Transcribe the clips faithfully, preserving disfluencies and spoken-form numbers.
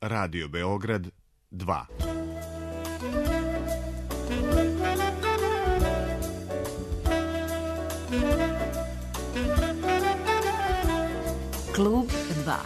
Radio Beograd dva. Klub dva.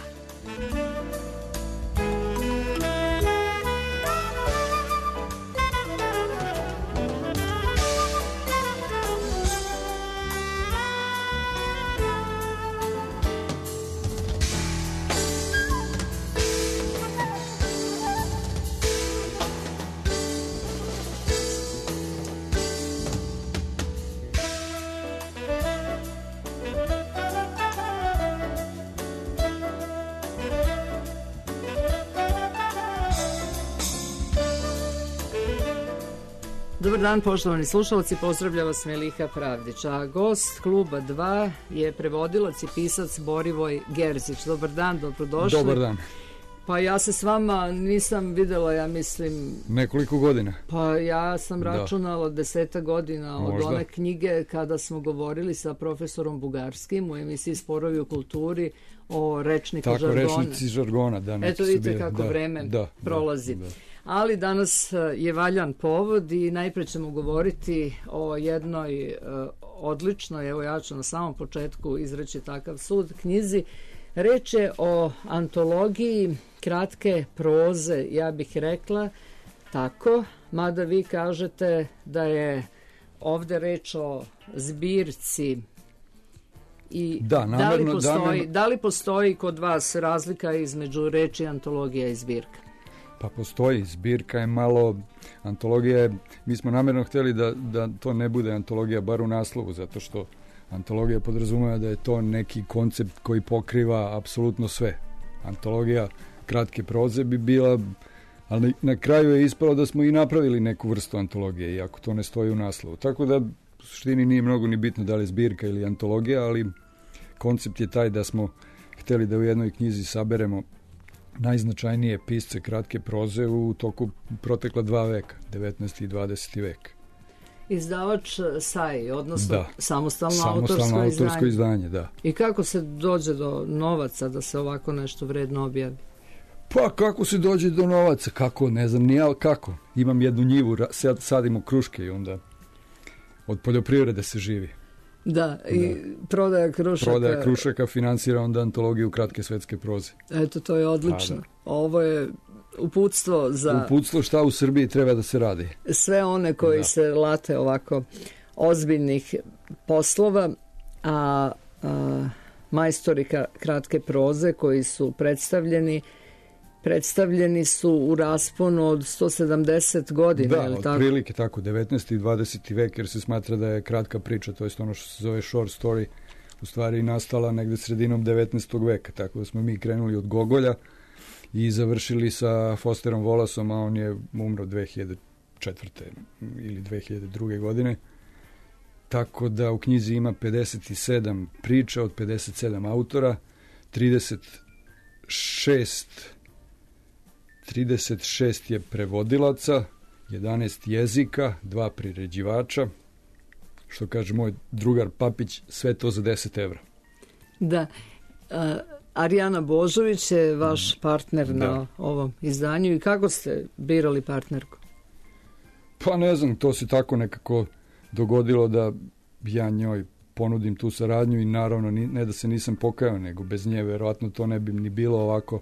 Dobar dan, poštovani slušalci, pozdravlja vas Meliha Pravdić, a gost Kluba dva je prevodilac i pisac Borivoj Gerzić. Dobar dan, dobrodošli. Dobar dan. Pa ja se s vama nisam videla, ja mislim... Nekoliko godina. Pa ja sam računala deseta godina od Možda. one knjige kada smo govorili sa profesorom Bugarskim u emisiji Sporovi u kulturi o rečniku Tako, žargona. Tako, rečnici žargona. Da, Eto vidite kako da, vreme da, prolazi. Da, da. Ali danas je valjan povod i najpre ćemo govoriti o jednoj uh, odličnoj, evo ja ću na samom početku izreći takav sud, knjizi. Reč je o antologiji kratke proze, ja bih rekla tako, mada vi kažete da je ovde reč o zbirci. I da, namerno, da, li postoji, namerno... da li postoji kod vas razlika između reči antologija i zbirka? Pa postoji, zbirka je malo, antologija je, mi smo namjerno htjeli da, da to ne bude antologija bar u naslovu, zato što antologija podrazumeva da je to neki koncept koji pokriva apsolutno sve. Antologija kratke proze bi bila, ali na kraju je ispalo da smo i napravili neku vrstu antologije, iako to ne stoji u naslovu. Tako da u suštini nije mnogo ni bitno da li je zbirka ili antologija, ali koncept je taj da smo htjeli da u jednoj knjizi saberemo najznačajnije pisce kratke proze u toku protekla dva veka, devetnaesti i dvadeseti vek. Izdavač S A I, odnosno da. samostalno, samostalno autorsko, autorsko izdanje. izdanje. Da. I kako se dođe do novaca da se ovako nešto vredno objavi? Pa kako se dođe do novaca? Kako? Ne znam ni ja kako. Imam jednu njivu, sad sadimo kruške i onda od poljoprivrede se živi. Da, i da. prodaja krušaka. Prodaja krušaka finansira onda antologiju kratke svetske proze. Eto, to je odlično. Ovo je uputstvo za... Uputstvo šta u Srbiji treba da se radi. Sve one koji da. se late ovako ozbiljnih poslova, a, a majstori kratke proze koji su predstavljeni predstavljeni su u rasponu od sto sedamdeset godina. Da, otprilike tako? tako, devetnaesti i dvadeseti vek, jer se smatra da je kratka priča, to je ono što se zove short story, u stvari nastala negde sredinom devetnaestog veka, tako da smo mi krenuli od Gogolja i završili sa Fosterom Wallaceom, a on je umro dve hiljade četvrte ili dve hiljade druge godine. Tako da u knjizi ima pedeset sedam priča od pedeset sedam autora, trideset šest trideset šest je prevodilaca, jedanaest jezika, dva priređivača, što kaže moj drugar Papić, sve to za deset evra. Da, uh, Arijana Božović je vaš partner da. na ovom izdanju i kako ste birali partnerku? Pa ne znam, to se tako nekako dogodilo da ja njoj ponudim tu saradnju i naravno ne da se nisam pokajao, nego bez nje verovatno to ne bi ni bilo ovako,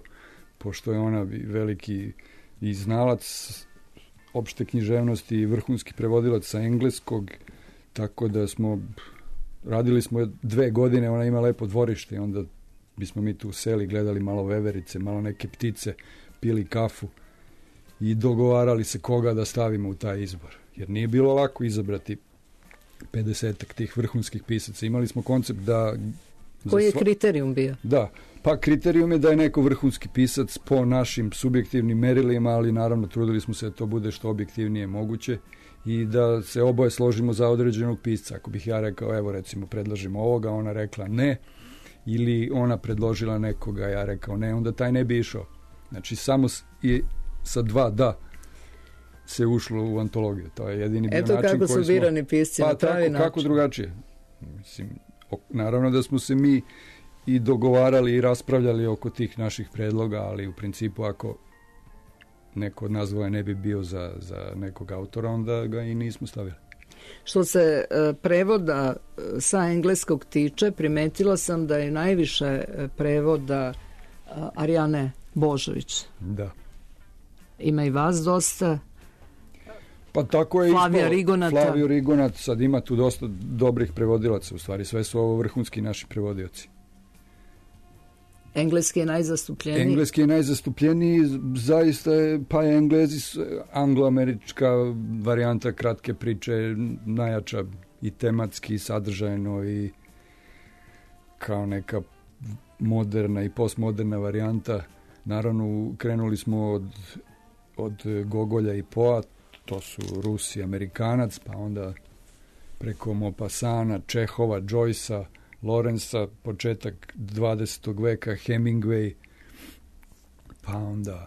pošto je ona veliki i znalac opšte književnosti i vrhunski prevodilac sa engleskog, tako da smo radili smo dve godine, ona ima lepo dvorište i onda bismo mi tu seli, gledali malo veverice, malo neke ptice, pili kafu i dogovarali se koga da stavimo u taj izbor, jer nije bilo lako izabrati pedesetak tih vrhunskih pisaca. Imali smo koncept da... Koji je sva... kriterijum bio? Da, pa kriterijum je da je neko vrhunski pisac po našim subjektivnim merilima, ali naravno trudili smo se da to bude što objektivnije moguće i da se oboje složimo za određenog pisca. Ako bih ja rekao, evo recimo predlažimo ovoga, ona rekla ne, ili ona predložila nekoga, ja rekao ne, onda taj ne bi išao. Znači samo i sa dva da se ušlo u antologiju. To je jedini bio Eto način koji smo... Eto kako su birani pisci pa, na pravi tako, način. Kako drugačije. Mislim, naravno da smo se mi i dogovarali i raspravljali oko tih naših predloga, ali u principu ako neko od nas dvoje ne bi bio za, za nekog autora, onda ga i nismo stavili. Što se uh, prevoda uh, sa engleskog tiče, primetila sam da je najviše uh, prevoda uh, Arijane Božović. Da. Ima i vas dosta. Pa tako je Flavija ispalo. Rigonata. Flavio Rigonat, sad ima tu dosta dobrih prevodilaca, u stvari sve su ovo vrhunski naši prevodioci. Engleski je najzastupljeniji. Engleski je najzastupljeniji, zaista je, pa je Englezi, angloamerička varijanta kratke priče, najjača i tematski, i sadržajno, i kao neka moderna i postmoderna varijanta. Naravno, krenuli smo od, od Gogolja i Poa, to su Rus i Amerikanac, pa onda preko Maupassana, Čehova, Joycea, Lorenza, početak dvadesetog veka, Hemingway, pa onda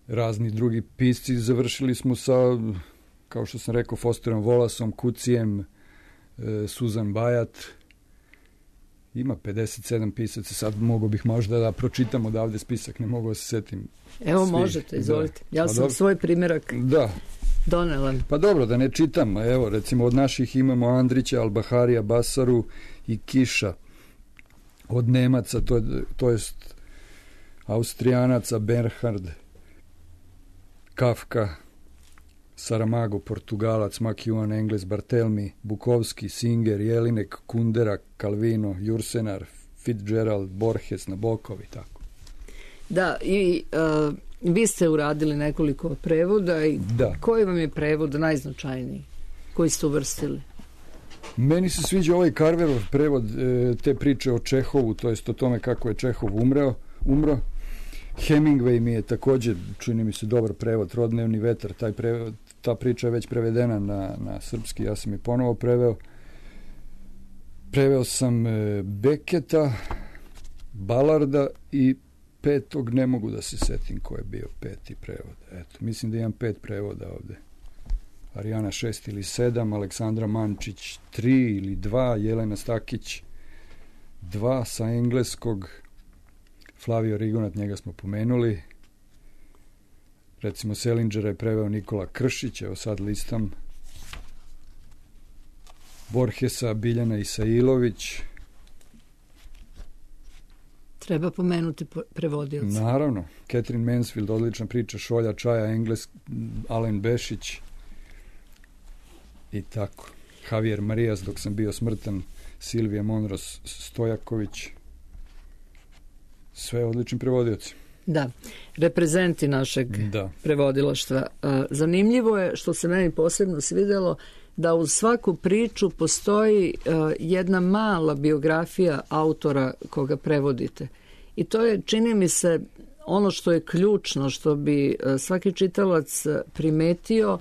razni drugi pisci. Završili smo sa, kao što sam rekao, Fosterom Wallaceom, Kucijem, e, Susan Bayat. Ima pedeset sedam pisaca, sad mogu bih možda da pročitam odavde spisak, ne mogu da se setim. Evo svih. Možete, izvolite. Da. Ja Pa sam dobro. svoj primjerak Da. donela. Pa dobro, da ne čitam. Evo, recimo od naših imamo Andrića, Albaharija, Basaru i Kiša. Od Nemaca, to, to jest Austrijanaca, Bernhard, Kafka, Saramago, Portugalac, McEwan, Engles, Barthelmy, Bukovski, Singer, Jelinek, Kundera, Calvino, Jursenar, Fitzgerald, Borges, Nabokov i tako. Da, i uh, vi ste uradili nekoliko prevoda i Da. koji vam je prevod najznačajniji koji ste uvrstili? Meni se sviđa ovaj Carverov prevod e, te priče o Čehovu, to jest o tome kako je Čehov umreo, umro. Hemingway mi je također, čini mi se, dobar prevod, Trodnevni vetar, taj prevod, ta priča je već prevedena na, na srpski, ja sam je ponovo preveo. Preveo sam e, Beketa, Balarda i petog, ne mogu da se setim ko je bio peti prevod. Eto, mislim da imam pet prevoda ovde. Arijana šest ili sedam, Aleksandra Mančić tri ili dva, Jelena Stakić dva sa engleskog, Flavio Rigonat, njega smo pomenuli. Recimo Selingera je preveo Nikola Kršić, evo sad listam. Borgesa, Biljana Isailović. Treba pomenuti prevodioca. Naravno, Catherine Mansfield, odlična priča, Šolja Čaja, Engles, Alen Bešić i tako. Javier Marijas, Dok sam bio smrtan, Silvija Monros Stojaković. Sve odlični prevodioci. Da, reprezenti našeg Da. prevodilaštva. Zanimljivo je, što se meni posebno svidjelo, da uz svaku priču postoji jedna mala biografija autora koga prevodite. I to je, čini mi se, ono što je ključno, što bi svaki čitalac primetio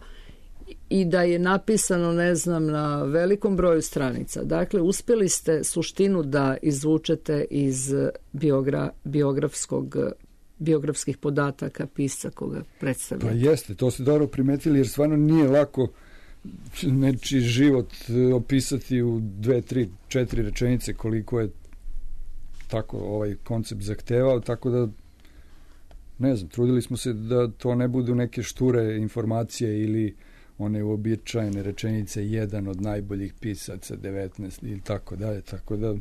i da je napisano, ne znam, na velikom broju stranica. Dakle, uspjeli ste suštinu da izvučete iz biogra, biografskog, biografskih podataka pisca koga predstavljate. Pa jeste, to ste dobro primetili, jer stvarno nije lako nečiji život opisati u dve, tri, četiri rečenice, koliko je tako ovaj koncept zahtevao, tako da ne znam, trudili smo se da to ne budu neke šture informacije ili one uobičajene rečenice, jedan od najboljih pisaca devetnaest ili tako dalje, tako da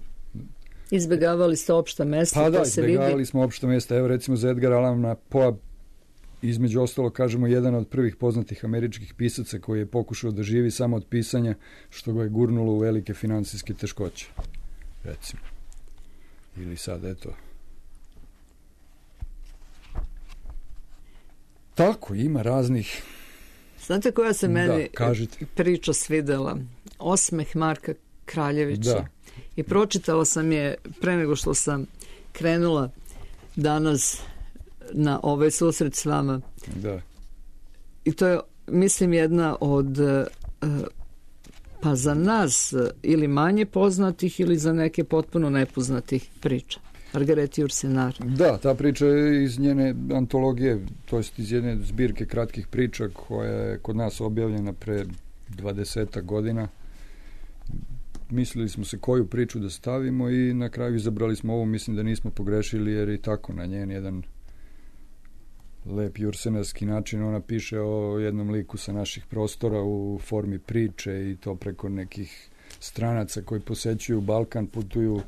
izbjegavali ste opšta mesta, pa da, to se izbjegavali vidi. smo opšta mesta. Evo recimo za Edgar Allana Poe, između ostalo kažemo jedan od prvih poznatih američkih pisaca koji je pokušao da živi samo od pisanja, što ga je gurnulo u velike finansijske teškoće, recimo. Ili sad, eto. Tako, ima raznih. Znate koja se meni Da, kažite. priča svidela? Osmeh Marka Kraljevića. Da. I pročitala sam je pre nego što sam krenula danas na ovaj susret s vama. Da. I to je, mislim, jedna od pa za nas ili manje poznatih ili za neke potpuno nepoznatih priča. Margareti Jursenar. Da, ta priča je iz njene antologije, to jest iz jedne zbirke kratkih priča koja je kod nas objavljena pre dvadesetak godina. Mislili smo se koju priču da stavimo i na kraju izabrali smo ovu. Mislim da nismo pogrešili, jer i tako na njen jedan lep jursenarski način. Ona piše o jednom liku sa naših prostora u formi priče i to preko nekih stranaca koji posećuju Balkan, putuju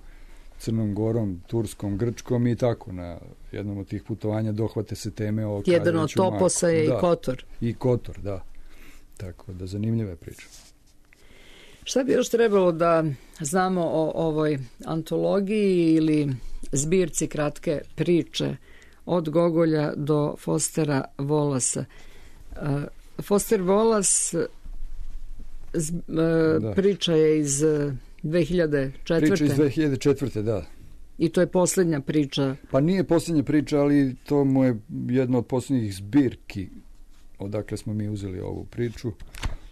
Crnom Gorom, Turskom, Grčkom i tako. Na jednom od tih putovanja dohvate se teme o jedan od toposa je da, i Kotor. I Kotor, da. Tako da zanimljiva je priča. Šta bi još trebalo da znamo o ovoj antologiji ili zbirci kratke priče od Gogolja do Fostera Wallace? Foster Wallace da. priča je iz dve hiljade četvrte. Priča iz dve hiljade četvrte, da. I to je posljednja priča. Pa nije posljednja priča, ali to mu je jedna od posljednjih zbirki odakle smo mi uzeli ovu priču.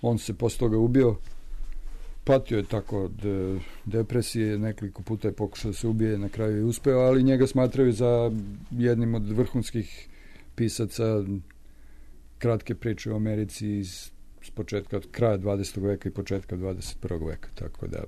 On se posle toga ubio. Patio je tako od depresije, nekoliko puta je pokušao da se ubije, na kraju je uspeo, ali njega smatraju za jednim od vrhunskih pisaca kratke priče u Americi iz s početka, od kraja dvadesetog veka i početka dvadeset prvog veka, tako da...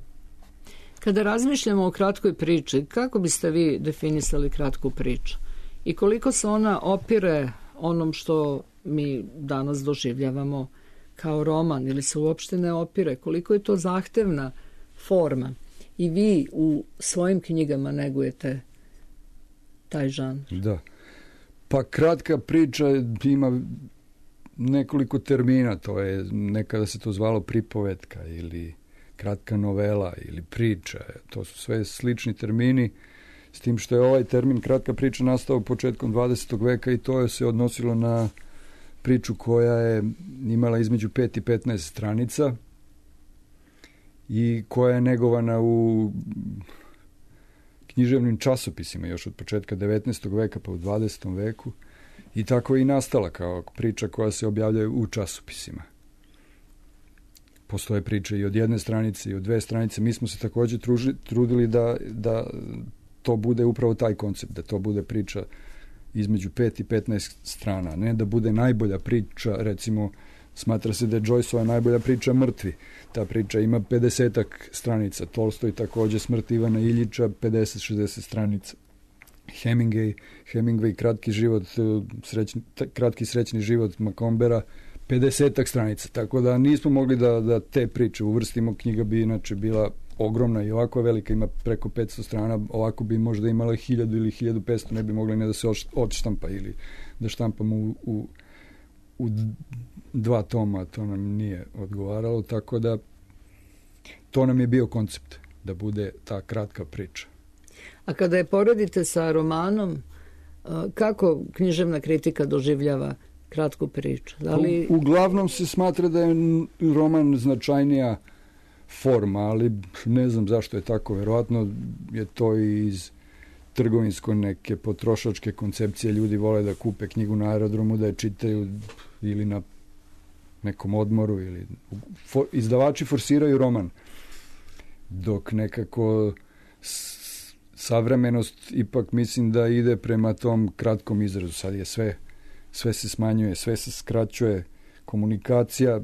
Kada razmišljamo o kratkoj priči, kako biste vi definisali kratku priču? I koliko se ona opire onom što mi danas doživljavamo kao roman, ili se uopšte ne opire? Koliko je to zahtevna forma? I vi u svojim knjigama negujete taj žanr. Da. Pa kratka priča ima nekoliko termina, to je, nekada se to zvalo pripovetka ili kratka novela ili priča, to su sve slični termini, s tim što je ovaj termin kratka priča nastao početkom dvadesetog veka i to je se odnosilo na priču koja je imala između pet i petnaest stranica i koja je negovana u književnim časopisima još od početka devetnaestog veka pa u dvadesetom veku. I tako je i nastala kao priča koja se objavljaju u časopisima. Postoje priče i od jedne stranice i od dve stranice. Mi smo se također truži, trudili da, da to bude upravo taj koncept, da to bude priča između pet i petnaest strana. Ne da bude najbolja priča, recimo, smatra se da je Joyceova najbolja priča Mrtvi. Ta priča ima pedesetak stranica. Tolstoj također Smrt Ivana Iljiča, pedeset šezdeset stranica. Hemingway, Hemingway kratki život, srećni, kratki srećni život Macombera, pedesetak stranica. Tako da nismo mogli da, da te priče uvrstimo. Knjiga bi inače bila ogromna i ovako velika, ima preko petsto strana, ovako bi možda imala hiljadu ili hiljadu petsto, ne bi mogli ne da se odštampa ili da štampamo u, u, u dva toma, to nam nije odgovaralo, tako da to nam je bio koncept, da bude ta kratka priča. A kada je poredite sa romanom, kako književna kritika doživljava kratku priču? Da li... U, uglavnom se smatra da je roman značajnija forma, ali ne znam zašto je tako. Verovatno je to i iz trgovinsko neke potrošačke koncepcije. Ljudi vole da kupe knjigu na aerodromu, da je čitaju ili na nekom odmoru. Ili... For, izdavači forsiraju roman, dok nekako savremenost ipak mislim da ide prema tom kratkom izrazu. Sad je sve, sve se smanjuje, sve se skraćuje. Komunikacija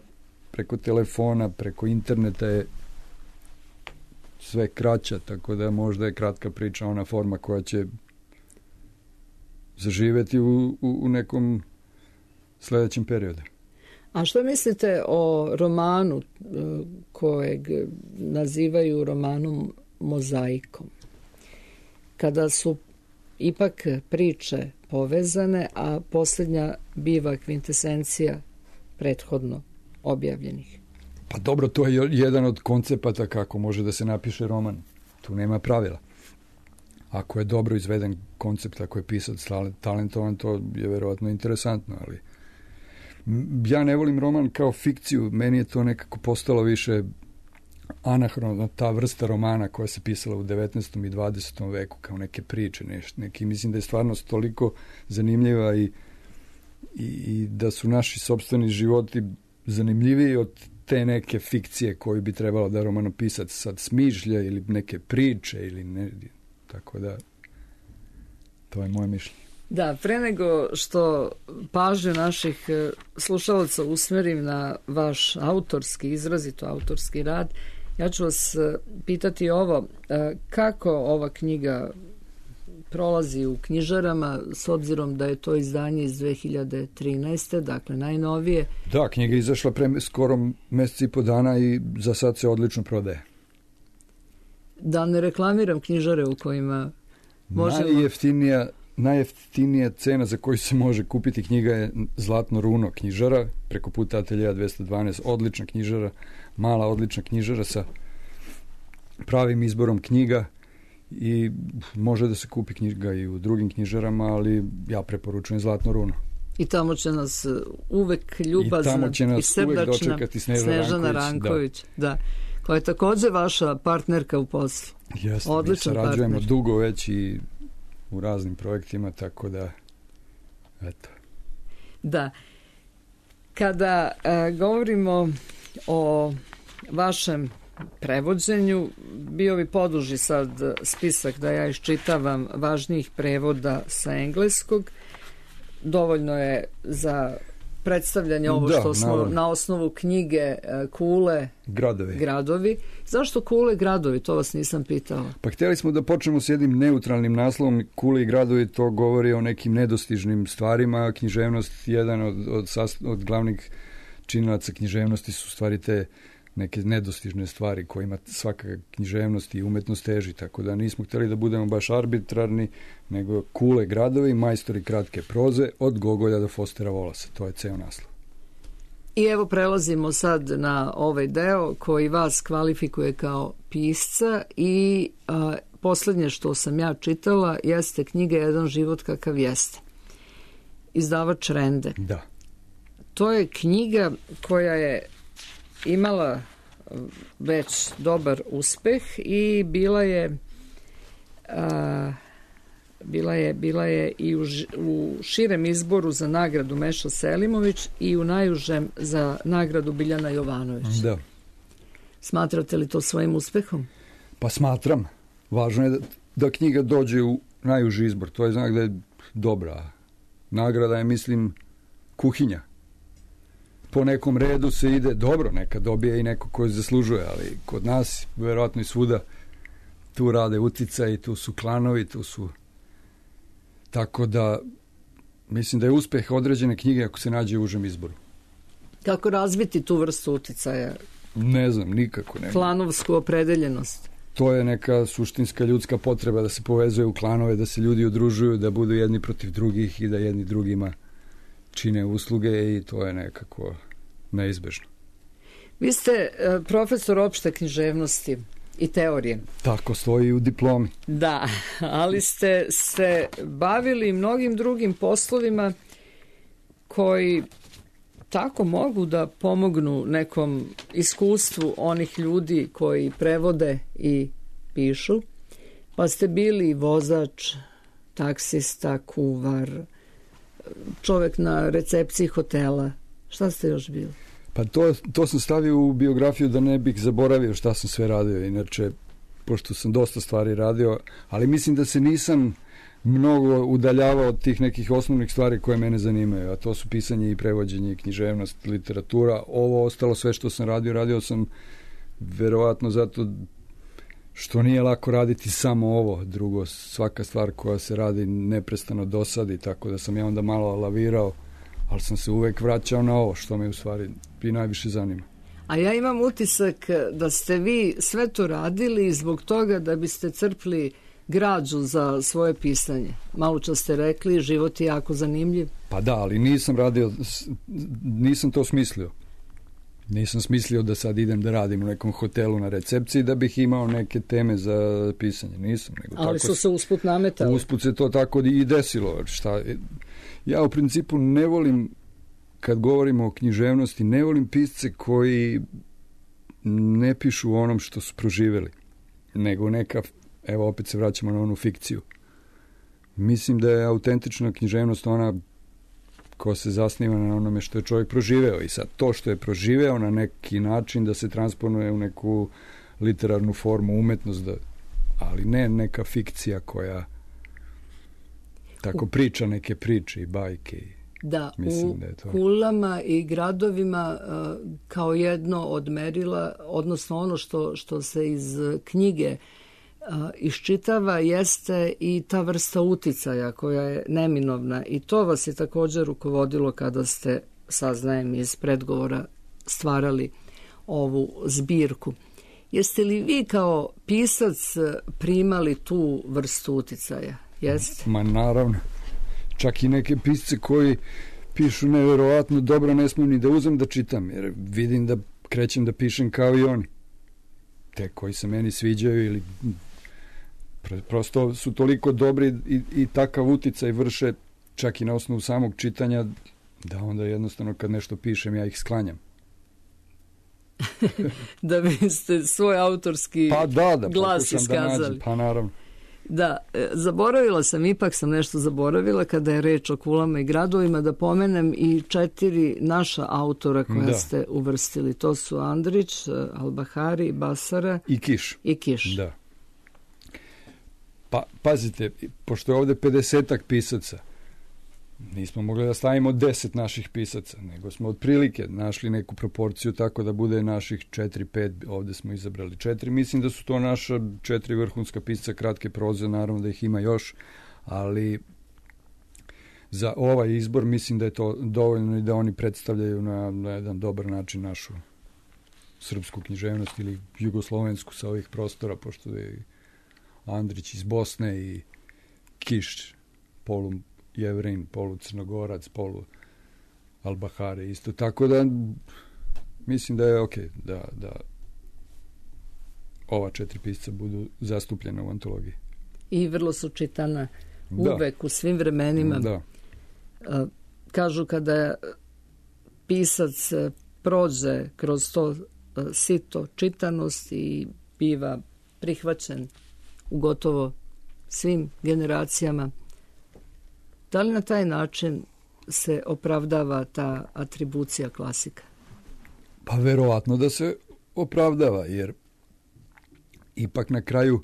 preko telefona, preko interneta je sve kraća, tako da možda je kratka priča ona forma koja će zaživeti u, u, u nekom sljedećem periodu. A što mislite o romanu kojeg nazivaju romanom mozaikom? Kada su ipak priče povezane, a posljednja biva kvintesencija prethodno objavljenih. Pa dobro, to je jedan od koncepata kako može da se napiše roman. Tu nema pravila. Ako je dobro izveden koncept, ako je pisac talentovan, to je verovatno interesantno, ali ja ne volim roman kao fikciju. Meni je to nekako postalo više anahrono, ta vrsta romana koja se pisala u devetnaestom i dvadesetom veku kao neke priče, neš, neki, mislim da je stvarnost toliko zanimljiva i, i, i da su naši sopstveni životi zanimljiviji od te neke fikcije koju bi trebalo da romanopisac sad smišlja ili neke priče ili ne, tako da to je moje mišljenje. Da, pre nego što pažnju naših slušalaca usmerim na vaš autorski, izrazito autorski rad, ja ću vas pitati ovo, kako ova knjiga prolazi u knjižarama, s obzirom da je to izdanje iz dve hiljade trinaeste. dakle najnovije. Da, knjiga je izašla pre skoro mesec i po dana i za sad se odlično prodaje. Da ne reklamiram knjižare u kojima možemo... Najjeftinija, najjeftinija cena za koju se može kupiti knjiga je Zlatno runo knjižara, preko puta Ateljeja dvesta dvanaest, odlična knjižara, mala odlična knjižara sa pravim izborom knjiga i može da se kupi knjiga i u drugim knjižarama, ali ja preporučujem Zlatno runo. I tamo će nas uvek ljubazna i, i srdačna Snežana, Snežana Ranković, da. da, koja je također vaša partnerka u poslu. Jeste, mi sarađujemo dugo već i u raznim projektima, tako da eto. Da. Kada e, govorimo o vašem prevođenju, bio bi poduži sad spisak da ja iščitavam važnijih prevoda sa engleskog. Dovoljno je za predstavljanje ovo da, što smo naravno. Na osnovu knjige Kule gradovi. gradovi. Zašto Kule gradovi? To vas nisam pitala. Pa htjeli smo da počnemo s jednim neutralnim naslovom. Kule i gradovi, to govori o nekim nedostižnim stvarima. Književnost, jedan od, od, od glavnih činilaca književnosti su stvari te neke nedostižne stvari kojima svaka književnost i umetnost teži, tako da nismo htjeli da budemo baš arbitrarni, nego Kule gradovi, majstori kratke proze, od Gogolja do Fostera Wallace. To je ceo naslov. I evo prelazimo sad na ovaj deo koji vas kvalifikuje kao pisca i a, posljednje što sam ja čitala jeste knjiga Jedan život kakav jeste. Izdavač Rende. Da. To je knjiga koja je imala već dobar uspeh i bila je a, bila je bila je i u, u širem izboru za nagradu Meša Selimović i u najužem za nagradu Biljana Jovanović. Da. Smatrate li to svojim uspehom? Pa smatram. Važno je da, da knjiga dođe u najuži izbor. To je znak da je dobra. Nagrada je, mislim, kuhinja. Po nekom redu se ide dobro, neka dobije i neko koji zaslužuje, ali kod nas, verovatno i svuda, tu rade uticaji, tu su klanovi, tu su... Tako da, mislim da je uspeh određene knjige ako se nađe u užem izboru. Kako razviti tu vrstu uticaja? Ne znam, nikako ne. Klanovsku opredeljenost? To je neka suštinska ljudska potreba da se povezuje u klanove, da se ljudi udružuju, da budu jedni protiv drugih i da jedni drugima čine usluge i to je nekako neizbežno. Vi ste uh, profesor opšte književnosti i teorije. Tako stoji u diplomi. Da, ali ste se bavili mnogim drugim poslovima koji tako mogu da pomognu nekom iskustvu onih ljudi koji prevode i pišu. Pa ste bili vozač, taksista, kuvar, čovjek na recepciji hotela. Šta ste još bili? Pa to, to sam stavio u biografiju da ne bih zaboravio šta sam sve radio. Inače, pošto sam dosta stvari radio, ali mislim da se nisam mnogo udaljavao od tih nekih osnovnih stvari koje mene zanimaju, a to su pisanje i prevođenje i književnost, literatura. Ovo ostalo sve što sam radio, radio sam verovatno zato što nije lako raditi samo ovo. Drugo, svaka stvar koja se radi neprestano dosadi, tako da sam ja onda malo lavirao, ali sam se uvek vraćao na ovo što me u stvari i najviše zanima. A ja imam utisak da ste vi sve to radili zbog toga da biste crpli građu za svoje pisanje. Malo čas ste rekli, život je jako zanimljiv. Pa da, ali nisam radio, nisam to smislio. Nisam smislio da sad idem da radim u nekom hotelu na recepciji da bih imao neke teme za pisanje. Nisam. Nego ali tako su se usput nametali. Usput se to tako i desilo. Šta, ja u principu ne volim, kad govorimo o književnosti, ne volim pisce koji ne pišu o onom što su proživjeli, nego neka, evo opet se vraćamo na onu fikciju. Mislim da je autentična književnost ona ko se zasniva na onome što je čovjek proživeo i sad to što je proživeo na neki način da se transponuje u neku literarnu formu, umetnost, da, ali ne neka fikcija koja tako priča neke priče i bajke. Da, mislim u da je to... kulama i gradovima kao jedno od merila, odnosno ono što, što se iz knjige iščitava jeste i ta vrsta uticaja koja je neminovna i to vas je također rukovodilo kada ste, saznajem iz predgovora, stvarali ovu zbirku. Jeste li vi kao pisac primali tu vrstu uticaja? Jeste? Ma naravno. Čak i neke pisce koji pišu nevjerovatno dobro ne smijem ni da uzem da čitam, jer vidim da krećem da pišem kao i oni. Te koji se meni sviđaju ili prosto su toliko dobri i, i takav uticaj vrše čak i na osnovu samog čitanja da onda jednostavno kad nešto pišem ja ih sklanjam. Da biste svoj autorski pa da, da, glas iskazali. Da nađem, pa naravno. Da, zaboravila sam, ipak sam nešto zaboravila kada je reč o kulama i gradovima, da pomenem i četiri naša autora koja da. ste uvrstili. To su Andrić, Albahari, Basara i Kiš. I Kiš. Da. Pa, pazite, pošto je ovde pedesetak pisaca, nismo mogli da stavimo deset naših pisaca, nego smo otprilike našli neku proporciju tako da bude naših četiri, pet, ovde smo izabrali četiri. Mislim da su to naša četiri vrhunska pisca kratke proze, naravno da ih ima još, ali za ovaj izbor mislim da je to dovoljno i da oni predstavljaju na, na jedan dobar način našu srpsku književnost ili jugoslovensku sa ovih prostora, pošto je Andrić iz Bosne i Kiš, polu Jevrin, polu Crnogorac, polu Albahare isto. Tako da mislim da je ok da, da ova četiri pisca budu zastupljena u antologiji. I vrlo su čitana uvek, da. U svim vremenima. Da. Kažu kada pisac prođe kroz to sito čitanosti i biva prihvaćen u gotovo svim generacijama. Da li na taj način se opravdava ta atribucija klasika? Pa verovatno da se opravdava, jer ipak na kraju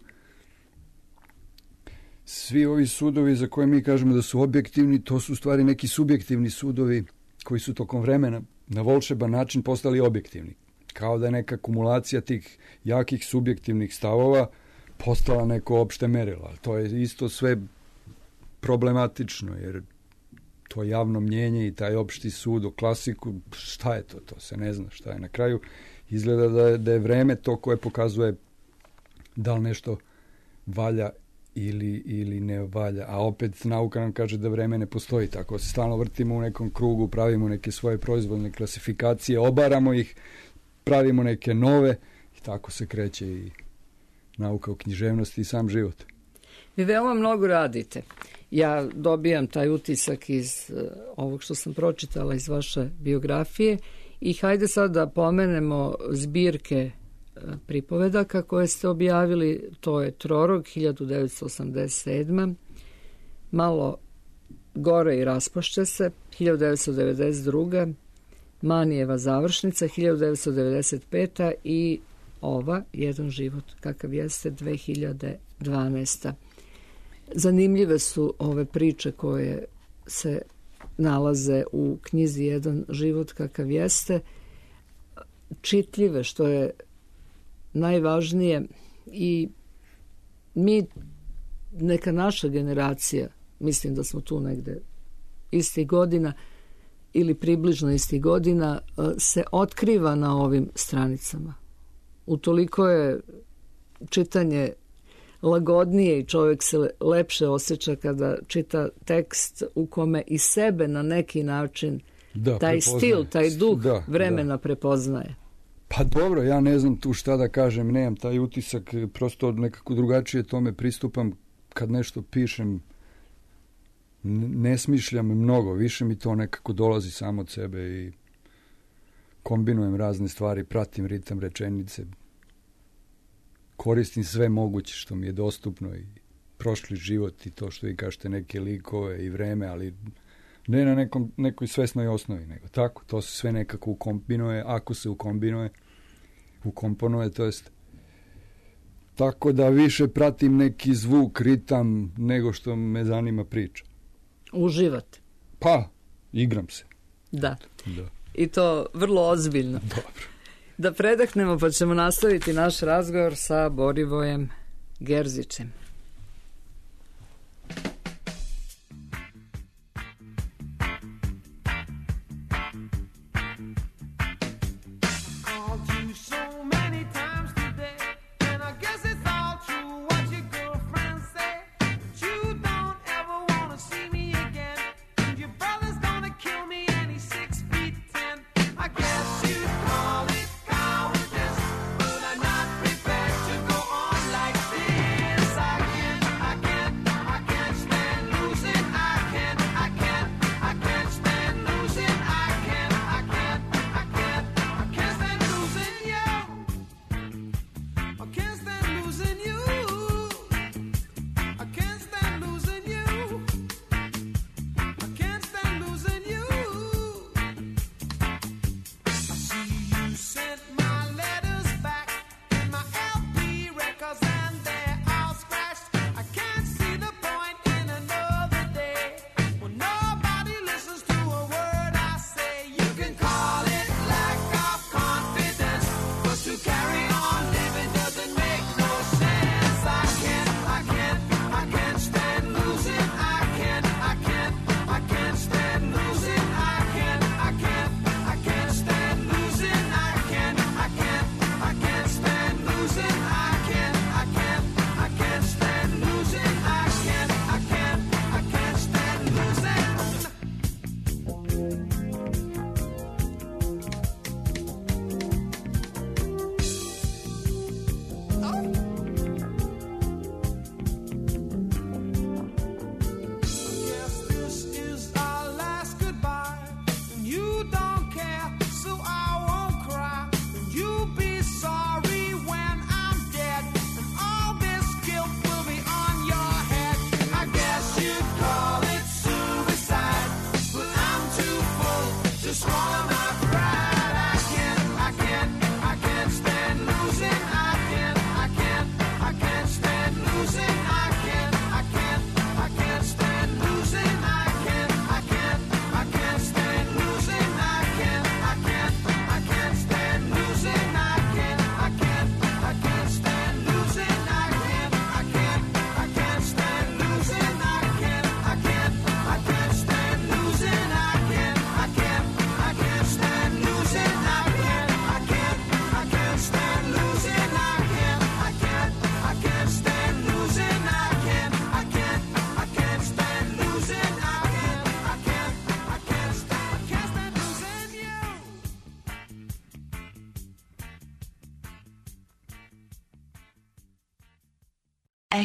svi ovi sudovi za koje mi kažemo da su objektivni, to su u stvari neki subjektivni sudovi koji su tokom vremena na volšeban način postali objektivni. Kao da je neka kumulacija tih jakih subjektivnih stavova postala neko opšte merilo. Ali to je isto sve problematično, jer to javno mnjenje i taj opšti sud o klasiku, šta je to? To se ne zna šta je. Na kraju izgleda da je, da je vreme to koje pokazuje da li nešto valja ili, ili ne valja. A opet nauka nam kaže da vreme ne postoji. Tako se stalno vrtimo u nekom krugu, pravimo neke svoje proizvodne klasifikacije, obaramo ih, pravimo neke nove i tako se kreće i nauka o književnosti i sam život. Vi veoma mnogo radite. Ja dobijam taj utisak iz uh, ovog što sam pročitala iz vaše biografije i hajde sad da pomenemo zbirke uh, pripovedaka koje ste objavili. To je Trorog hiljadu devetsto osamdeset sedma, Malo gore i raspošće se hiljadu devetsto devedeset druga, Manijeva završnica hiljadu devetsto devedeset peta i ova Jedan život kakav jeste dve hiljade dvanaesta. Zanimljive su ove priče koje se nalaze u knjizi Jedan život kakav jeste, čitljive, što je najvažnije, i mi, neka naša generacija, mislim da smo tu negde istih godina ili približno istih godina, se otkriva na ovim stranicama. Utoliko je čitanje lagodnije i čovjek se lepše osjeća kada čita tekst u kome i sebe na neki način da, taj prepoznaje. Stil, taj duh da, vremena da. prepoznaje. Pa dobro, ja ne znam tu šta da kažem, nemam taj utisak, prosto nekako drugačije tome pristupam kad nešto pišem, ne smišljam mnogo, više mi to nekako dolazi samo od sebe i kombinujem razne stvari, pratim ritam rečenice, koristim sve moguće što mi je dostupno i prošli život i to što vi kažete, neke likove i vreme, ali ne na nekom, nekoj svesnoj osnovi, nego tako, to se sve nekako ukombinuje, ako se ukombinuje, ukomponuje, to jest tako da više pratim neki zvuk, ritam, nego što me zanima priča. Uživate? Pa, igram se. Da. Da. I to vrlo ozbiljno. Dobro. Da predahnemo pa ćemo nastaviti naš razgovor sa Borivojem Gerzićem.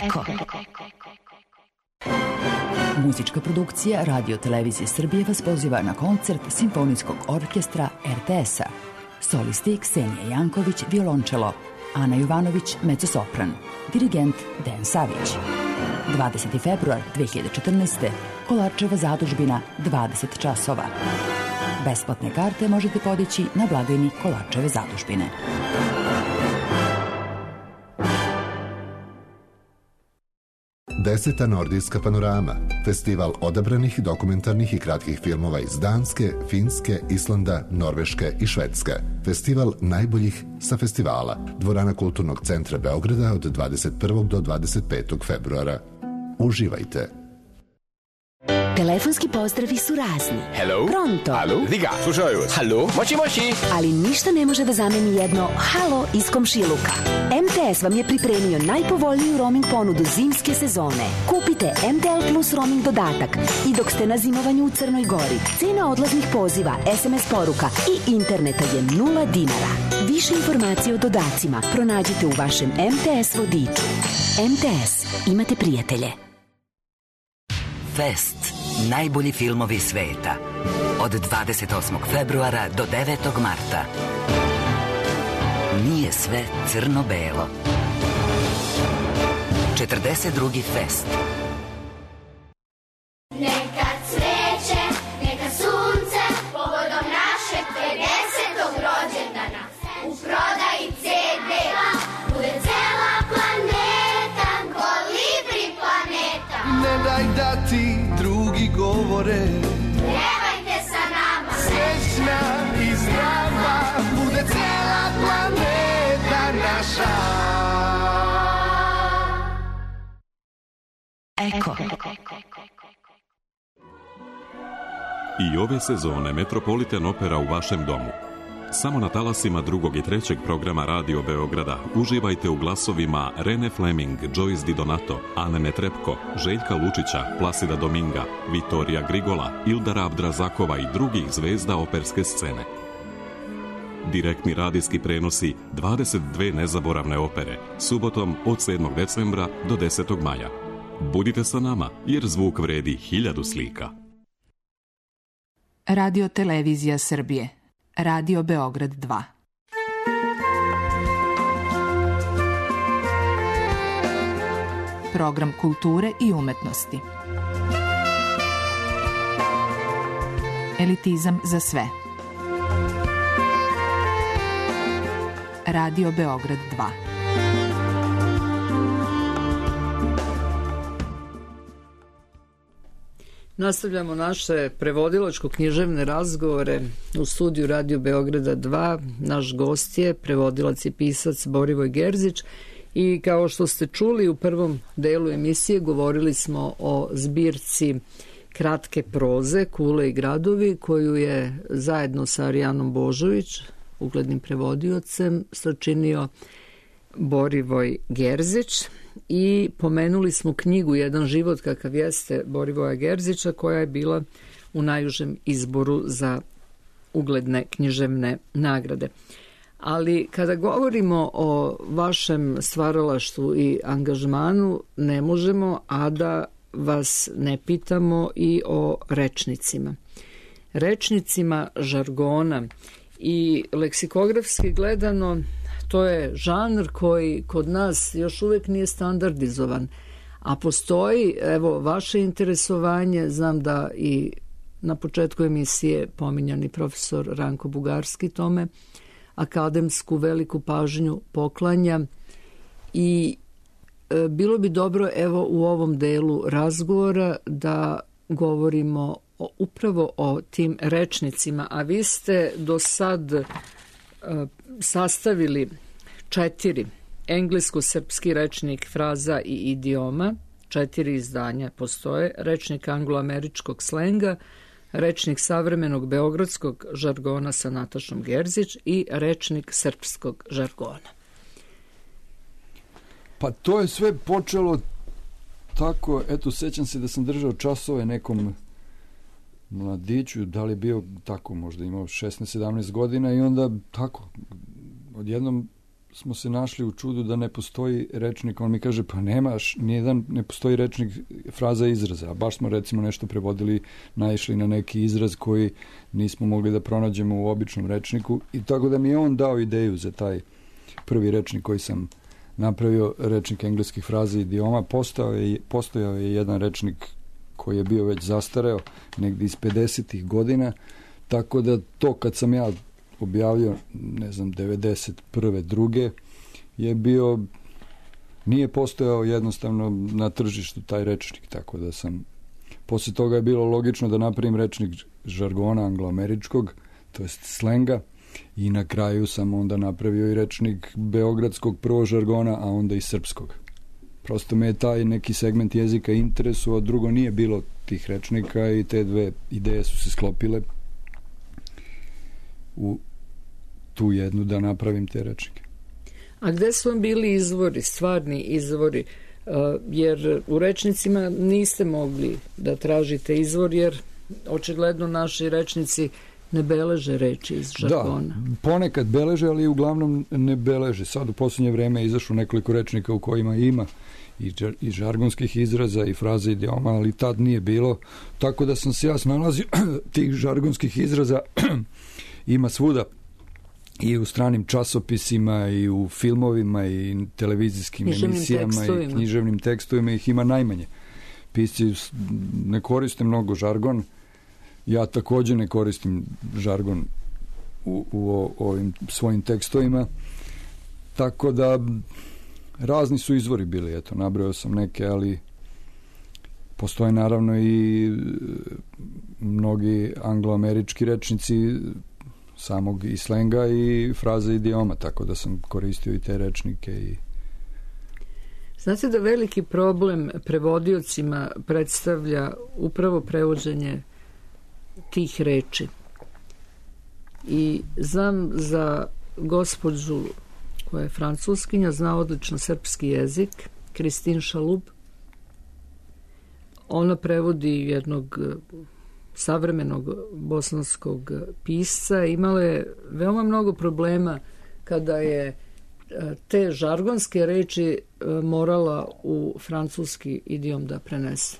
Eko. Muzička produkcija Radio Televizije Srbije vas poziva na koncert Simfonijskog orkestra er te es-a. Solisti Ksenija Janković, violončelo, Ana Jovanović, mezzosopran, dirigent Dejan Savić. dvadeseti februar dve hiljade četrnaeste. Kolarčeva zadužbina, dvadeset časova. Besplatne karte možete podići na blagajni Kolarčeve zadužbine. Deseta Nordijska panorama, festival odabranih dokumentarnih i kratkih filmova iz Danske, Finske, Islanda, Norveške i Švedske. Festival najboljih sa festivala. Dvorana Kulturnog centra Beograda od dvadeset prvog do dvadeset petog februara. Uživajte! Telefonski pozdravi su razni. Hello. Pronto. Alo. Diga. Slušaju vas. Halo. Moći moći. Ali ništa ne može da zameni jedno halo iz komšiluka. em te es vam je pripremio najpovoljniju roaming ponudu zimske sezone. Kupite em te el Plus roaming dodatak i dok ste na zimovanju u Crnoj Gori, cena odlaznih poziva, es em es poruka i interneta je nula dinara. Više informacije o dodacima pronađite u vašem em te es vodiču. em te es. Imate prijatelje. Fest. Najbolji filmovi sveta. Od dvadeset osmog februara do devetog marta. Nije sve crno-belo. četrdeset drugi Fest. Neka cveće, neka sunce, povodom našeg pedesetog rođendana. U prodaji ce de bude cela planeta, Kolibri planeta. Ne daj da ti drugi govore, Pjevajte sa nama, srećna i zdrava, bude cela planeta naša. Eko. I ove sezone Metropolitan Opera u vašem domu. Samo na talasima drugog i trećeg programa Radio Beograda uživajte u glasovima Rene Fleming, Joyce Di Donato, Ane Netrebko, Željka Lučića, Plasida Dominga, Vitorija Grigola, Ildara Abdrazakova i drugih zvezda operske scene. Direktni radijski prenosi dvadeset dve nezaboravne opere, subotom od sedmog decembra do desetog maja. Budite sa nama, jer zvuk vredi hiljadu slika. Radio Televizija Srbije. Radio Beograd dva. Program kulture i umetnosti. Elitizam za sve. Radio Beograd dva. Nastavljamo naše prevodilačko-književne razgovore u studiju Radio Beograda dva. Naš gost je prevodilac i pisac Borivoj Gerzić i kao što ste čuli u prvom delu emisije govorili smo o zbirci kratke proze Kule i gradovi koju je zajedno sa Arijanom Božović, uglednim prevodiocem, sačinio Borivoj Gerzić. I pomenuli smo knjigu Jedan život kakav jeste Borivoja Gerzića koja je bila u najužem izboru za ugledne književne nagrade. Ali kada govorimo o vašem stvaralaštvu i angažmanu ne možemo, a da vas ne pitamo i o rečnicima. Rečnicima žargona i leksikografski gledano to je žanr koji kod nas još uvijek nije standardizovan, a postoji, evo, vaše interesovanje, znam da i na početku emisije pominjani profesor Ranko Bugarski tome akademsku veliku pažnju poklanja i e, bilo bi dobro, evo, u ovom delu razgovora da govorimo o, upravo o tim rečnicima, a vi ste do sad e, sastavili četiri englesko-srpski rečnik fraza i idioma, četiri izdanja postoje, rečnik anglo-američkog slenga, rečnik savremenog beogradskog žargona sa Natašom Gerzić i rečnik srpskog žargona. Pa to je sve počelo tako, eto, sećam se da sam držao časove nekom mladiću, da li je bio tako, možda imao šesnaest sedamnaest godina i onda tako, odjednom smo se našli u čudu da ne postoji rečnik, on mi kaže, pa nemaš, nijedan, ne postoji rečnik fraza i izraza, a baš smo recimo nešto prevodili, naišli na neki izraz koji nismo mogli da pronađemo u običnom rečniku i tako da mi je on dao ideju za taj prvi rečnik koji sam napravio, rečnik engleskih fraza i idioma. Postojao je, postojao je jedan rečnik koji je bio već zastareo, negdje iz pedesetih godina, tako da to kad sam ja objavio, ne znam, devedeset prve druge je bio, nije postojao jednostavno na tržištu taj rečnik, tako da sam, posle toga je bilo logično da napravim rečnik žargona angloameričkog, to jest slenga, i na kraju sam onda napravio i rečnik beogradskog prvo žargona, a onda i srpskog. Prosto me je taj neki segment jezika interesuo, drugo nije bilo tih rečnika i te dve ideje su se sklopile u tu jednu da napravim te rečnike. A gde su vam bili izvori, stvarni izvori? Uh, jer u rečnicima niste mogli da tražite izvor, jer očigledno naši rečnici ne beleže reči iz žargona. Da, ponekad beleže, ali uglavnom ne beleže. Sad u posljednje vreme je izašlo nekoliko rečnika u kojima ima i, džar, i žargonskih izraza i fraze idioma, ali tad nije bilo. Tako da sam se ja snalazio tih žargonskih izraza ima svuda. I u stranim časopisima, i u filmovima, i televizijskim književnim emisijama, tekstovima. I književnim tekstovima ih ima najmanje. Pisci ne koriste mnogo žargon. Ja također ne koristim žargon u, u ovim svojim tekstovima. Tako da razni su izvori bili. Eto, nabrojao sam neke, ali postoje naravno i mnogi angloamerički rečnici samog i slenga i fraze idioma, tako da sam koristio i te rečnike. I Znate da veliki problem prevodiocima predstavlja upravo prevođenje tih reči. I znam za gospođu koja je francuskinja, zna odlično srpski jezik, Kristin Šalub. Ona prevodi jednog savremenog bosanskog pisca. Imala je veoma mnogo problema kada je te žargonske reči morala u francuski idiom da prenese.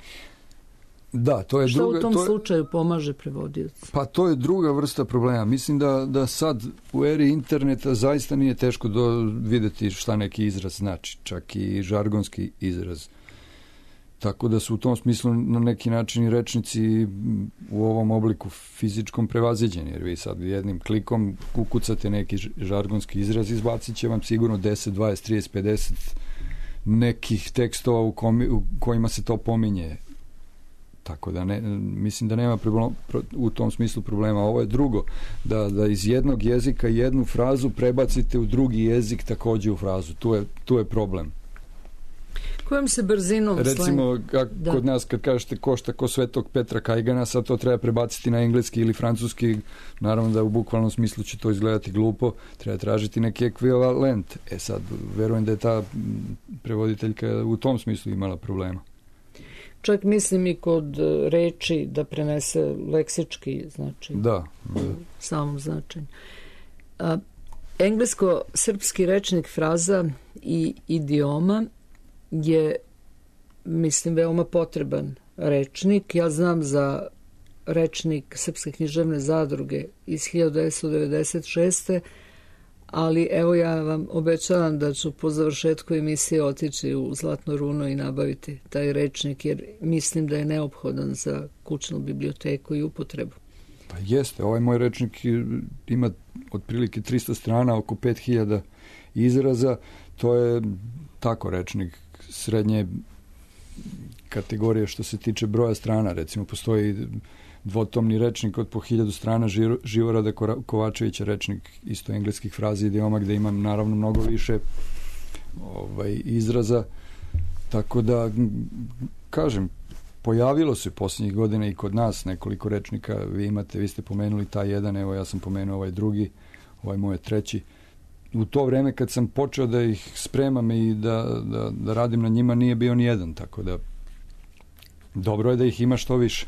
Da, to je Šta druga, u tom to je, slučaju pomaže prevodiocu? Pa to je druga vrsta problema. Mislim da, da sad u eri interneta zaista nije teško do, videti šta neki izraz znači, čak i žargonski izraz. Tako da su u tom smislu na neki način i rečnici u ovom obliku fizičkom prevaziđeni, jer vi sad jednim klikom ukucate neki žargonski izraz, izbacit će vam sigurno deset, dvadeset, trideset, pedeset nekih tekstova u, komi, u kojima se to pominje. Tako da ne, mislim da nema problem, u tom smislu problema. Ovo je drugo, da, da iz jednog jezika jednu frazu prebacite u drugi jezik takođe u frazu. Tu je, tu je problem. Kojom se brzinom recimo kak, kod nas kad kažete košta ko Svetog Petra Kajgana, sad to treba prebaciti na engleski ili francuski, naravno da u bukvalnom smislu će to izgledati glupo, treba tražiti neki ekvivalent. E sad, verujem da je ta prevoditeljka u tom smislu imala problema. Čak mislim i kod reči da prenese leksički, znači da, da. samom značenju. A, englesko-srpski rečnik fraza i idioma je, mislim, veoma potreban rečnik. Ja znam za rečnik Srpske književne zadruge iz hiljadu devetsto devedeset šeste. Ali evo ja vam obećavam da ću po završetku emisije otići u Zlatno runo i nabaviti taj rečnik, jer mislim da je neophodan za kućnu biblioteku i upotrebu. Pa jeste, ovaj moj rečnik ima otprilike tristo strana, oko pet hiljada izraza. To je tako rečnik srednje kategorije što se tiče broja strana. Recimo, postoji dvotomni rečnik od po hiljadu strana Živorada Kovačevića, rečnik isto engleskih fraza i idioma, gde imam naravno mnogo više ovaj, izraza. Tako da, kažem, pojavilo se posljednjih godina i kod nas nekoliko rečnika. Vi imate, vi ste pomenuli taj jedan, evo ja sam pomenuo ovaj drugi, ovaj moj treći. U to vreme kad sam počeo da ih spremam i da, da, da radim na njima, nije bio ni jedan, tako da dobro je da ih ima što više.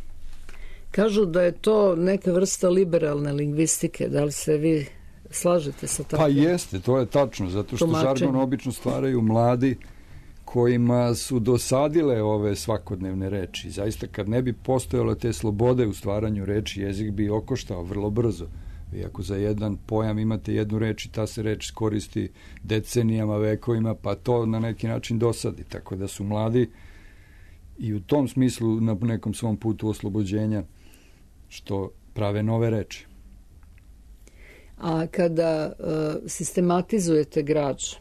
Kažu da je to neka vrsta liberalne lingvistike. Da li se vi slažete sa takvim? Pa jeste, to je tačno, zato što tumačenje. Žargon obično stvaraju mladi kojima su dosadile ove svakodnevne reči. Zaista, kad ne bi postojalo te slobode u stvaranju reči, jezik bi okoštao vrlo brzo. Vi ako za jedan pojam imate jednu reč i ta se reč koristi decenijama, vekovima, pa to na neki način dosadi. Tako da su mladi i u tom smislu na nekom svom putu oslobođenja što prave nove reči. A kada uh, sistematizujete građu,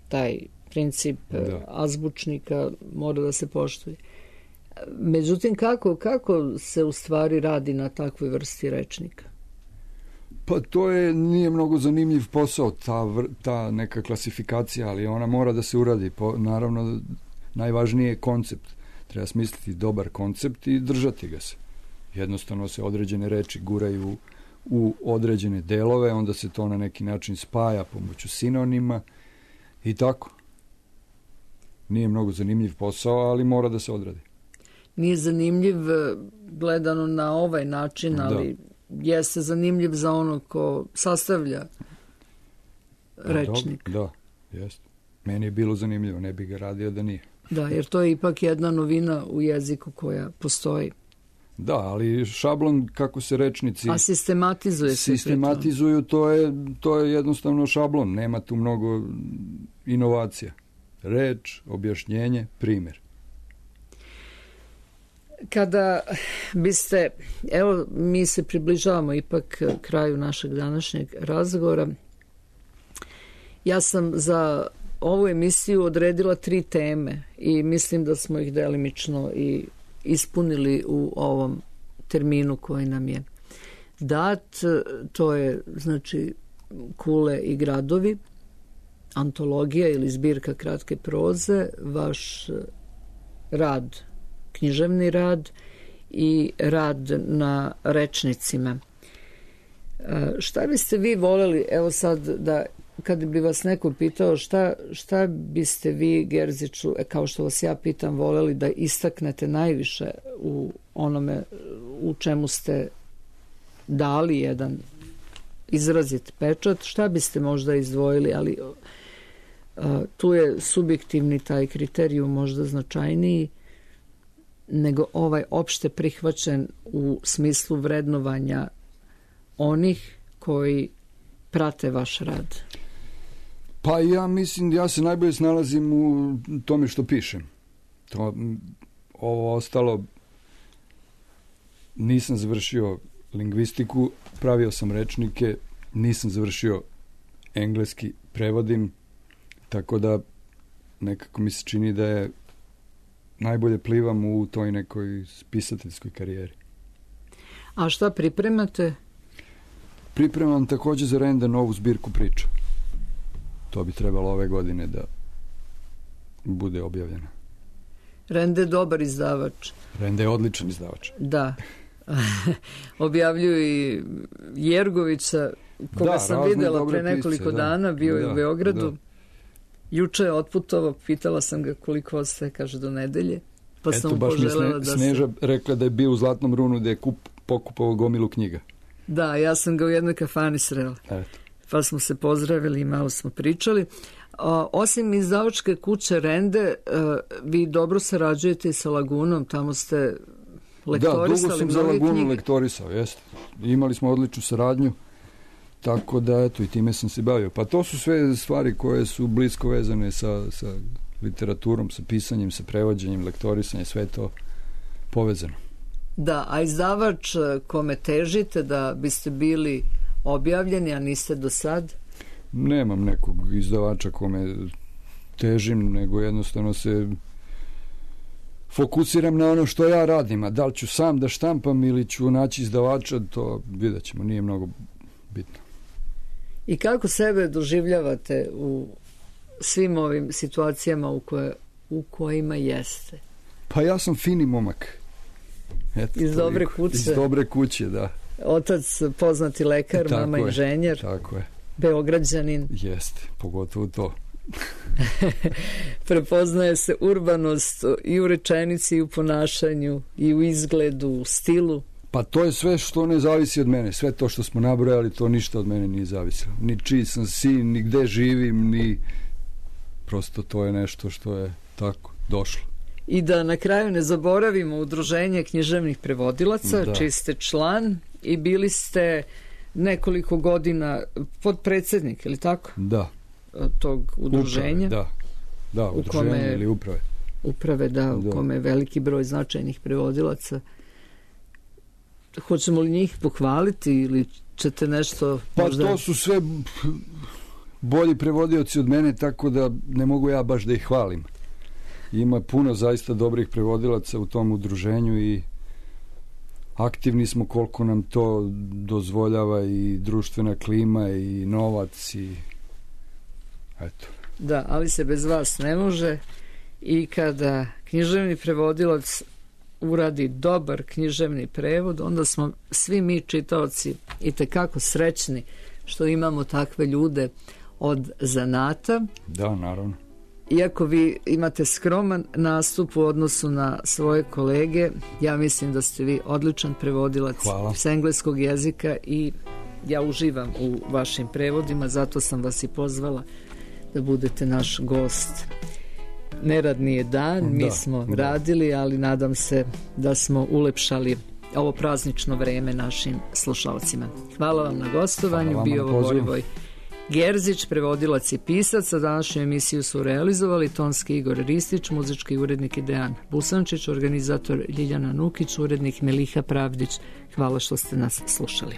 taj princip da. azbučnika mora da se poštuje. Međutim, kako, kako se u stvari radi na takvoj vrsti rečnika? Pa to je, nije mnogo zanimljiv posao, ta, ta neka klasifikacija, ali ona mora da se uradi. Po, naravno, najvažnije je koncept. Treba smisliti dobar koncept i držati ga se. Jednostavno se određene reči guraju u određene delove, onda se to na neki način spaja pomoću sinonima i tako. Nije mnogo zanimljiv posao, ali mora da se odradi. Nije zanimljiv gledano na ovaj način, ali da. jeste zanimljiv za ono ko sastavlja rečnik. Da, da, jeste. Meni je bilo zanimljivo, ne bi ga radio da nije. Da, jer to je ipak jedna novina u jeziku koja postoji. Da, ali šablon kako se rečnici A sistematizuje se sistematizuju, to je, to je jednostavno šablon, nema tu mnogo inovacija. Reč, objašnjenje, primjer. Kada biste, evo mi se približavamo ipak kraju našeg današnjeg razgovora, ja sam za ovu emisiju odredila tri teme i mislim da smo ih delimično i ispunili u ovom terminu koji nam je dat. To je, znači, kule i gradovi, antologija ili zbirka kratke proze, vaš rad, književni rad i rad na rečnicima. Šta biste vi voljeli, evo sad, da kad bi vas neko pitao šta, šta biste vi, Gerziću, kao što vas ja pitam, voljeli da istaknete najviše u onome u čemu ste dali jedan izrazit pečat, šta biste možda izdvojili, ali a, tu je subjektivni taj kriterijum možda značajniji nego ovaj opšte prihvaćen u smislu vrednovanja onih koji prate vaš rad. Pa ja mislim, ja se najbolje snalazim u tome što pišem. To, ovo ostalo, nisam završio lingvistiku, pravio sam rečnike, nisam završio engleski, prevodim, tako da nekako mi se čini da je najbolje plivam u toj nekoj pisateljskoj karijeri. A šta pripremate? Pripremam također za Renda novu zbirku priča. To bi trebalo ove godine da bude objavljeno. Rende je dobar izdavač. Rende je odličan izdavač. Da. Objavljuju i Jergovića, koga da, sam videla pre nekoliko pisce, dana, bio da, je u Beogradu. Da. Juče je otputovao, pitala sam ga koliko ostaje, kaže do nedelje. Pa Eto, sam mu baš poželela mi da Sneža se... rekla da je bio u Zlatnom Runu, da je kup, pokupovao gomilu knjiga. Da, ja sam ga u jednoj kafani srela. Eto. Pa smo se pozdravili i malo smo pričali. O, osim izdavačke kuće Rende, uh, vi dobro sarađujete sa Lagunom, tamo ste lektorisali. Da, dugo sam za Lagunu knjige. lektorisao, jeste. Imali smo odličnu saradnju, tako da, eto, i time sam se bavio. Pa to su sve stvari koje su blisko vezane sa, sa literaturom, sa pisanjem, sa prevođenjem, lektorisanjem, sve to povezano. Da, a izdavač kome težite da biste bili objavljeni, a niste do sad? Nemam nekog izdavača kome težim, nego jednostavno se fokusiram na ono što ja radim, a da li ću sam da štampam ili ću naći izdavača, to vidjet ćemo, nije mnogo bitno. I kako sebe doživljavate u svim ovim situacijama u, koje, u kojima jeste? Pa ja sam fini momak. Eto, iz dobre toliko. kuće. Iz dobre kuće, da. Otac poznati lekar, tako mama je, inženjer. Tako je. Beograđanin. Jeste, pogotovo to. Prepoznaje se urbanost i u rečenici, i u ponašanju, i u izgledu, u stilu. Pa to je sve što ne zavisi od mene. Sve to što smo nabrojali, to ništa od mene nije zavisilo. Ni čiji sam sin, ni gde živim, ni... Prosto to je nešto što je tako došlo. I da na kraju ne zaboravimo udruženje književnih prevodilaca, da. Čiji ste član i bili ste nekoliko godina podpredsjednik, ili tako? Da. Tog udruženja. Uprave, da. Da, udruženje kome, ili uprave. Uprave, da, u da. Kome je veliki broj značajnih prevodilaca. Hoćemo li njih pohvaliti ili ćete nešto... Pa možda... to su sve bolji prevodioci od mene, tako da ne mogu ja baš da ih hvalim. Ima puno zaista dobrih prevodilaca u tom udruženju i aktivni smo koliko nam to dozvoljava i društvena klima i novac i eto. Da, ali se bez vas ne može i kada književni prevodilac uradi dobar književni prevod, onda smo svi mi čitaoci itekako srećni što imamo takve ljude od zanata. Da, naravno. Iako vi imate skroman nastup u odnosu na svoje kolege, ja mislim da ste vi odličan prevodilac s engleskog jezika i ja uživam u vašim prevodima, zato sam vas i pozvala da budete naš gost. Neradni je dan, da, mi smo da. radili, ali nadam se da smo ulepšali ovo praznično vreme našim slušalcima. Hvala vam na gostovanju, bio ovo Borivoj Gerzić, prevodilac i pisac. A današnju emisiju su realizovali tonski Igor Ristić, muzički urednik Dejan Busančić, organizator Ljiljana Nukić, urednik Meliha Pravdić. Hvala što ste nas slušali.